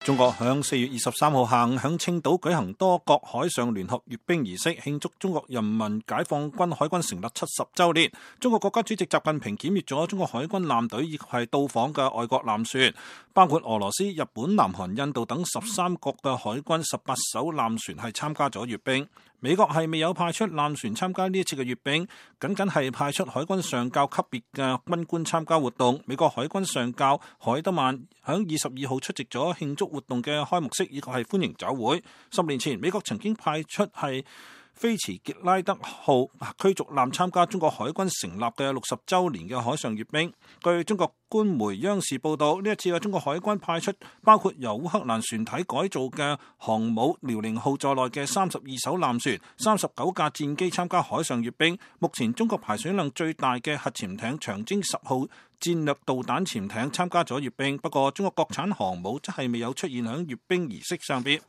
中國響4月23號下午響青島舉行多國海上聯合閱兵儀式，慶祝中國人民解放軍海軍成立70週年。中國國家主席習近平檢閱咗中國海軍艦隊以及係到訪嘅外國艦船，包括俄羅斯、日本、南韓、印度等13國嘅海軍18艘艦船係參加咗閱兵。美國係未有派出艦船參加呢一次嘅閱兵，僅係派出海軍上校級別嘅軍官參加活動。美國海軍上校海德曼響22號出席咗慶祝活動嘅開幕式以及係歡迎酒會。10年前，美國曾經派出係菲茨傑拉德號驅逐艦參加中國海軍成立嘅60週年嘅海上閱兵。據中國官媒央視報道，呢一次嘅中國海軍派出包括由烏克蘭船體改造嘅航母遼寧號在內嘅32艘艦船、39架戰機參加海上閱兵。目前中國排水量最大嘅核潛艇長征10號戰略導彈潛艇參加咗閱兵，不過中國國產航母則係未有出現喺閱兵儀式上邊。